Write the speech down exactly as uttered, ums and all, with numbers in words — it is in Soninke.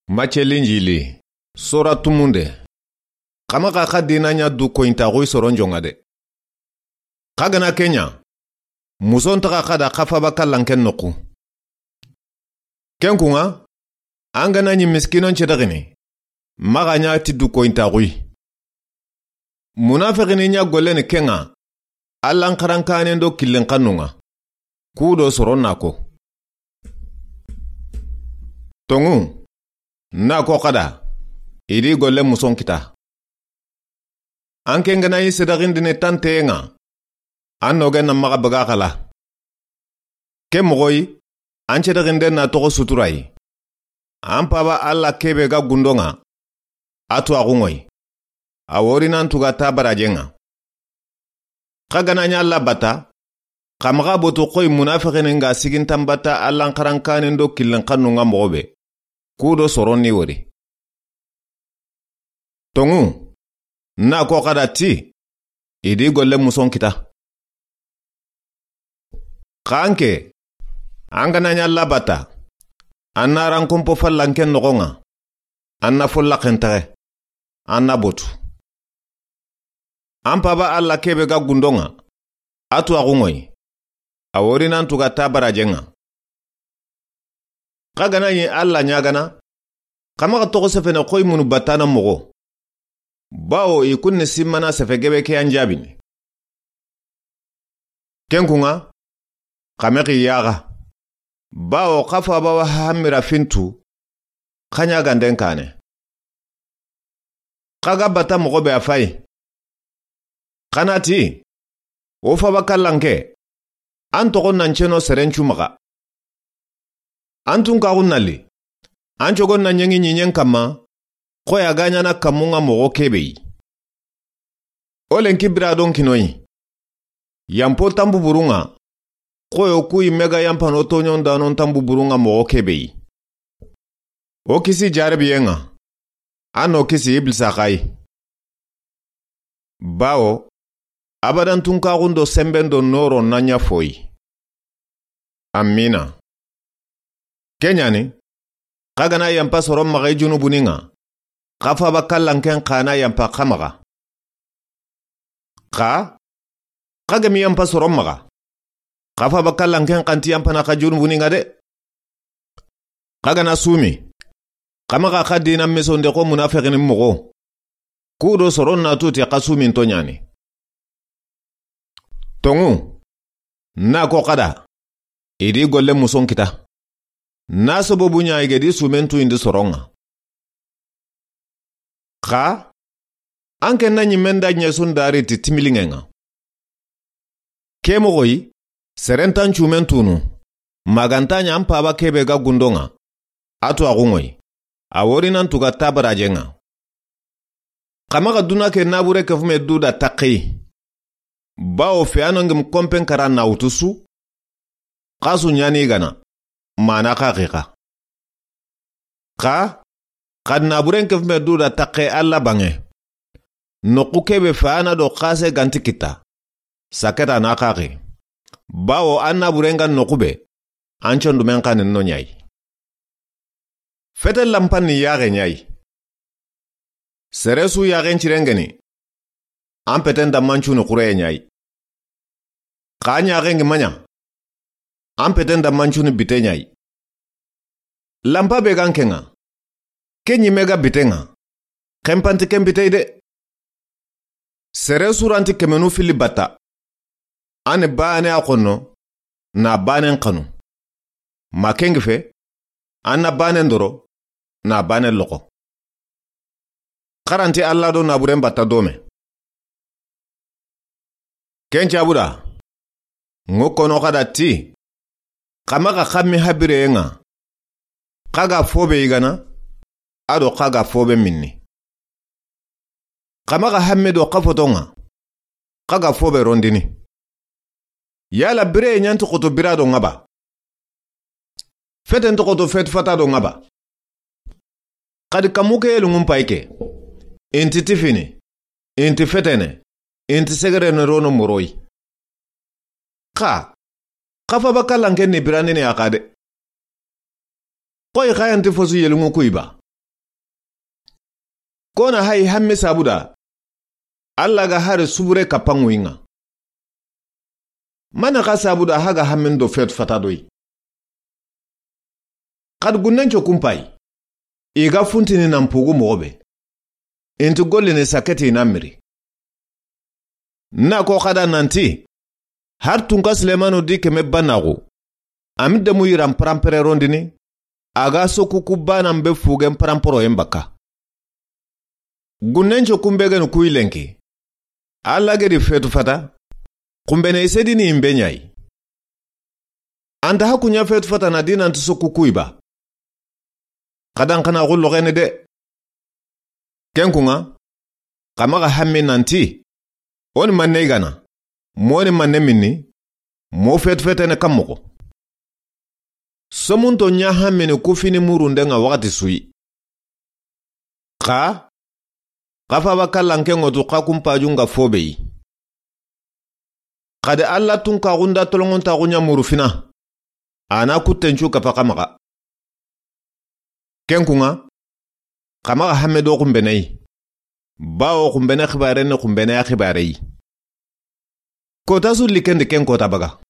Macce Linjili, sora tumunde. Xa maxa xa diina ɲa du koyintaxuyi soron joŋa de. Xa ga na ke ɲa, muso ntaxa xa da xa faaba kallanken noxu. Ken kuŋa, an ga na ɲi miskinon cedexini, maxa ɲa ti du koyintaxuyi. Munafexini ɲa golleni ke ŋa, Allan xarankaanen do killen xannun ŋa. Ku do soron na ko. Toŋu, na ko xa da, i di golle muson kita. An ke ga na ɲi sedexindini tanteyen ŋa, an nogen na maxa baga xala. Ke moxoyi, an cedexinden na toxo suturayi. An Paaba Alla ke be ga gundo ŋa, a tuwaaxu ŋoyi. A wori nan tuga ta barajen ŋa. Xa ga na ɲa Alla batta, xa maxa botu xoyi munafexini ŋa sigintan batta Allan xarankaanen do killen xannun ŋa moxo be. Ku do soron ni wori. Toŋu, na ko xa da ti, i di golle muson kita. Xa an ke, an ga na ɲa Alla batta, an na ran konpo fallanken noxon ŋa, an na follaxen texe, an na botu. An Paaba Alla ke be ga gundo ŋa, a tuwaaxu ŋoyi. A wori nan tuga ta barajen ŋa. Xa ga na ɲi Alla ɲaagana, xa maxa toxo sefene xoyi munu battana moxo. Bawo i kun ni simmana sefe gebe ke yan jaabini. Ken kuŋa, xa mexi yaaxa. Bawo xa faaba wa hammira fintu, xa ɲaaganden kaane. Xa ga batta moxo be a fayi. Xa na ti, o faaba kallanke, an toxo nan ceno seren cu maxa. An tunkaxun na li, an cogon na ɲeŋi ɲiɲen kanma, xoyi a ga ɲaana kanmun ŋa moxo ke be yi. O lenki bira don kinoyi. Yanpo tanbuburun ŋa, xoyo ku yimme ga yanpano toɲon danon tanbuburun ŋa moxo ke be yi. O kisi jarabiyen ŋa, an no kisi Iblisa xa yi. Bawo, abadan tunkaxun do senben do nooron na ɲa foyi. Amina. Ke ɲa ni, xa ga na yanpa soron maxa i junubuni ŋa, xa faaba kallanken xa na yanpa xa maxa. Xa, xa ga mi yanpa soron maxa, xa faaba kallanken xa nti yanpana xa junubuni ŋa de. Xa ga na sumi, xa maxa xa diina misonde xo munafexini moxo. Ku do soron na tuti xa suminto ɲa ni. Toŋu, na ko xa da, i di golle muson kita. Na sababu ɲa i ga di sumen tuyindi soron ŋa. Xa, an ke na ɲimen da ɲesun dari ti timiliŋen ŋa. Ke moxoyi, seren tan cumen tunu, maxa nta ɲa an Paaba ke be ga gundo ŋa, a tuwaaxu ŋoyi, a wori nan tuga ta barajen ŋa. Xa maxa duna ke nabure kefume du da taxeyi. Bawo feyano ngim konpen kara na wutu su, xa su ɲa ni gana, mana xa xixa. Xa, xa naburen kefume du da taxe Alla banŋe. Noxu ke be feyana do xase ga nti kita, saketa na xaxi. Bawo an naburen ga noxu be, an condumen xanin no ɲa yi. Fete lanpan ni yaxe ɲa yi. Sere su yaxen cirengeni, an peten dammancuni xureye ɲa yi. Xa ɲaxen gi maɲa, an peten dammancuni bite ɲa yi. Lanpa be gan ke ŋa, ke ɲime ga bite ŋa, xenpanti ken bitey de. Sere suranti kemenu fili batta. An ni baane a xonno, na baanen xanu. Ma ken gi fe, an na baanen doro, na baanen loxo. Xaranti Alla do naburen batta dome. Ken cabuda, ŋo kono xa da ti, xa maxa xammi habireye ŋa, xa ga fobe yigana, a do xa ga fobe minni. Xa maxa hamme do xa foto ŋa, xa ga fobe rondini. Yala bireye ɲanti xoto bira do ŋa ba? Fete nti xoto fetu fata do ŋa ba? Xadi kamu ke yeluŋun pay ke, inti tifini, inti fetene, inti segerene rono moroyi. Xa, xa faba kallanken ni biranini a xa de. Xoyi xa yanti fosu yeluŋu kuyi ba? Ko na hayi hamme sabuda, Alla ga hari subure kapanŋu yi ŋa. Mane xa sabuda haga hammen do fetu fata do yi. Xadi gunnenco kumpayi, i ga funtini nan pugu moxo be. Inti gollini saketi na miri. Na ko xada nanti, har tunka Sulemanu di keme banaxu, ami demu yiran parampererondini, a ga sokuku banan be fugen paramporoyen bakka. Gunnenco kunbe geni kuyi lenki. Alla gedi fetu fata, kunbene i sedini yinbe ɲayi. Anta haku ɲa fetu fata na dinanti sokuku yi ba. Xadan xana xullo xene de. Ken kuŋa, xa maxa hammi nanti, o ni manne i gana, mo ni manne minni, mo fetu fetene kan moxo. Somunto ɲa hammini ku fini murunde ŋa waxati suyi. Xa, xa faba kallanke ŋotu xa kumpajun ga fobe yi. Xadi Alla tunkaxunda tolongontaxu ɲa muru fina, a na kuttencu kafa xa maxa. Ken kuŋa, xa maxa hamme do xunbene yi, bawo xunbene xibare ni xunbene ya xibare yi. Kota su likendi ken kota baga.